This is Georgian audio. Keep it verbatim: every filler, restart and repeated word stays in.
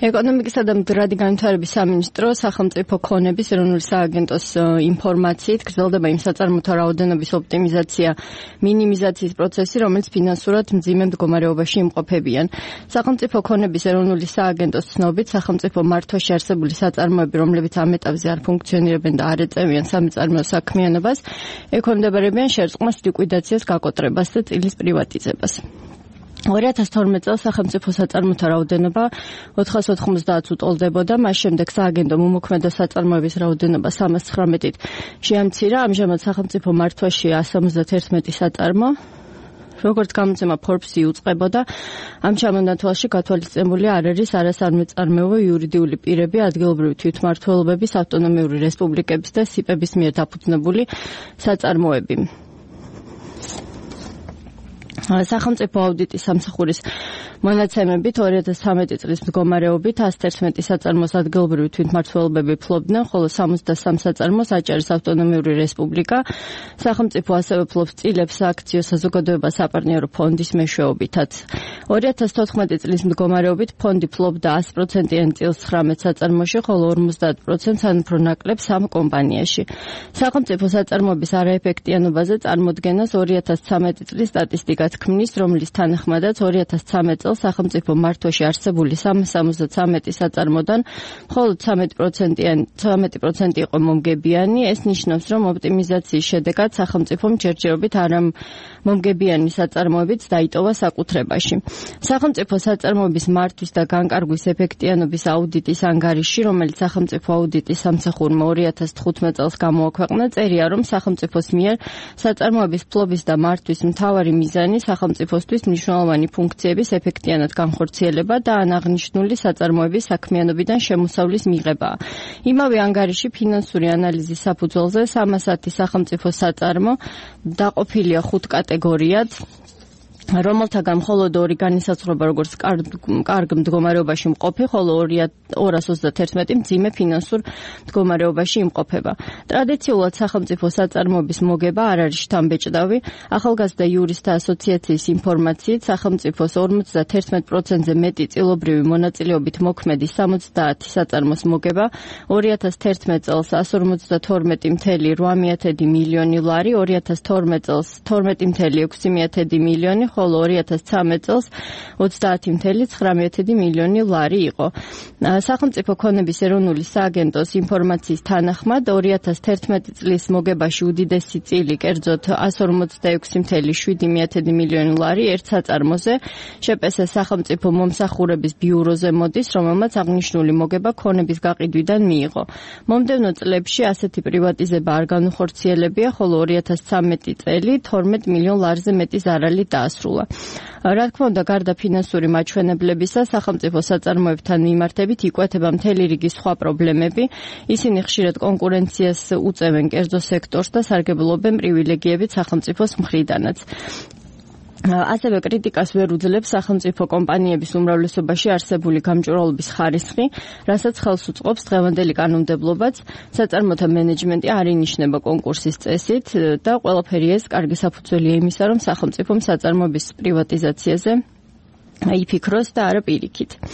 ეკონომიკისა და მდგრადი განვითარების სამინისტრო სახელმწიფო ქონების ეროვნული სააგენტოს ინფორმაციით გრძელდება იმ საწარმოთა რაოდენობის ოპტიმიზაცია, მინიმიზაციის პროცესი, რომელიც ფინანსურად მძიმე მდგომარეობაში იმყოფებიან. სახელმწიფო ქონების ეროვნული სააგენტოს ცნობით, სახელმწიფო მართვაში არსებული საწარმოები, რომლებიც ამ ეტაპზე არ ფუნქციონირებენ და არ ეწევიან სამწარმოო საქმიანობას, ექვემდებარებიან შერწყმას, ლიკვიდაციას, გაკოტრებას და წილის პრივატიზებას. ორი ათას თორმეტ წელს სახელმწიფო საწარმოთა რაოდენობა ოთხას ოთხმოცდაათს უტოლდებოდა, მას შემდეგ სააგენტომ უმოქმედო საწარმოების რაოდენობა სამას ცხრამეტით შეამცირა, ამჟამად სახელმწიფო მართვაში ასი ოცდაერთი საწარმო, როგორც გამოცემა Forbes-ი უწყებოდა, ამ ჩამონათვალში გათვალისწინებული არ არის არასამეწარმეო იურიდიული პირები, ადგილობრივი თვითმმართველობების, ავტონომიური რესპუბლიკების და სიპების მიერ დაფუძნებული საწარმოები. სახელმწიფო აუდიტის სამსახურის მონაცემებით ორი ათას ცხრამეტი წლის მდგომარეობით ათას თერთმეტი საწარმოს ადგილობრივი თვითმმართველობები ფლობდნენ, ხოლო სამოცდასამი საწარმოს აჭარის ავტონომიური რესპუბლიკა. სახელმწიფო ასევე ფლობს წილებს სააქციო საზოგადოება საპარტნიორო ფონდის მეშვეობითაც. ორი ათას თოთხმეტი წლის მდგომარეობით ფონდი ფლობდა ასი პროცენტიან წილს ცხრამეტ საწარმოში, ხოლო ორმოცდაათ პროცენტს ან უფრო ნაკლებ სამ კომპანიაში. სახელმწიფო საწარმოების არაეფექტიანობაზე წარმოდგენას ორი ათას ცხრამეტი წლის სტატისტიკა ქმნის, რომლის თანახმადაც ორი ათას ცხრამეტ წელს სახელმწიფო მართვაში არსებული სამას ორმოცდათვრამეტი საწარმოდან მხოლოდ ცხრამეტი პროცენტი იყო მომგებიანი. ეს ნიშნავს, რომ ოპტიმიზაციის შედეგად სახელმწიფომ ჯერჯერობით არა მომგებიანი საწარმოებიც დაიტოვა საკუთრებაში. სახელმწიფო საწარმოების მართვის და განკარგვის ეფექტიანობის აუდიტის ანგარიში, რომელიც სახელმწიფო აუდიტის სამსახურმა ორი ათას თხუთმეტ წელს გამოაქვეყნა, წერია, რომ სახელმწიფოს მიერ საწარმოების ფლობის და მართვის მთავარი მიზანი სახელმწიფოსთვის მნიშვნელოვანი ფუნქციების ეფექტიანად განხორციელება და აღნიშნული საწარმოების საქმიანობიდან შემოსავლის მიღებაა. იმავე ანგარიში ფინანსური ანალიზის საფუძველზე სამას ათი სახელმწიფო საწარმო დაყოფილია ხუთ კატეგორიად, რომელთაგან მხოლოდ ორი განისაზღვრება როგორც კარგ მდგომარეობაში მყოფი, ხოლო ორას ოცდაერთი მძიმე ფინანსურ მდგომარეობაში იმყოფება. ტრადიციულად სახელმწიფო საწარმოების მოგება არ არის შთამბეჭდავი. ახალგაზრდა იურისტთა ასოციაციის ინფორმაციით, სახელმწიფოს ორმოცდაერთი პროცენტზე მეტი წილობრივი მონაწილეობით მოქმედი სამოცდაათი საწარმოს მოგება ორი ათას თერთმეტ წელს ასი ორმოცდათორმეტი მეთერთმეტი ორმოცდაათი მილიონი ლარი, ორი ათას თორმეტ წელს თორმეტი მეთერთმეტი ექვსმეტი მილიონი, ხოლო ორი ათას ცხრამეტ წელს ოცდაათი მეთერთმეტი ცხრამეტი მილიონი ლარი იყო. სახელმწიფო ქონების ეროვნული სააგენტოს ინფორმაციის თანახმად ორი ათას თერთმეტი წლის მოგებაში უდიდესი წილი, კერძოდ ასი ორმოცდაექვსი მეთერთმეტი შვიდი მილიონი ლარი ერთ საწარმოზე შპს სახელმწიფო მომსახურების ბიუროზე მოდის, რომელმაც აღნიშნული მოგება ქონების გაყიდვიდან მიიღო. მომდევნო წლებში ასეთი პრივატიზება არ განუხორციელებია, ხოლო ორი ათას ცხრამეტი წელი თორმეტ მილიონ ლარზე მეტი ზარალი დაასრულა. რა თქმა უნდა, გარდა ფინანსური მაჩვენებლებისა, სახელმწიფო საწარმოებთან მიმართებით იკვეთება მთელი რიგი სხვა პრობლემები. ისინი ხშირად კონკურენციას უწევენ კერძო სექტორს და სარგებლობენ პრივილეგიებით სახელმწიფოს მხრიდანაც. ასევე კრიტიკას ვერ უძლებს სახელმწიფო კომპანიების უმრავლესობაში არსებული გამჭვირვალობის ხარისხი, რასაც ხელს უწყობს დღევანდელი კანონმდებლობაც. საწარმოთა მენეჯმენტი არ ინიშნება კონკურსის წესით და ყველაფერი ეს კარგი საფუძველია იმისა, რომ სახელმწიფომ საწარმოების პრივატიზაციაზე იფიქროს და არა პირიქით.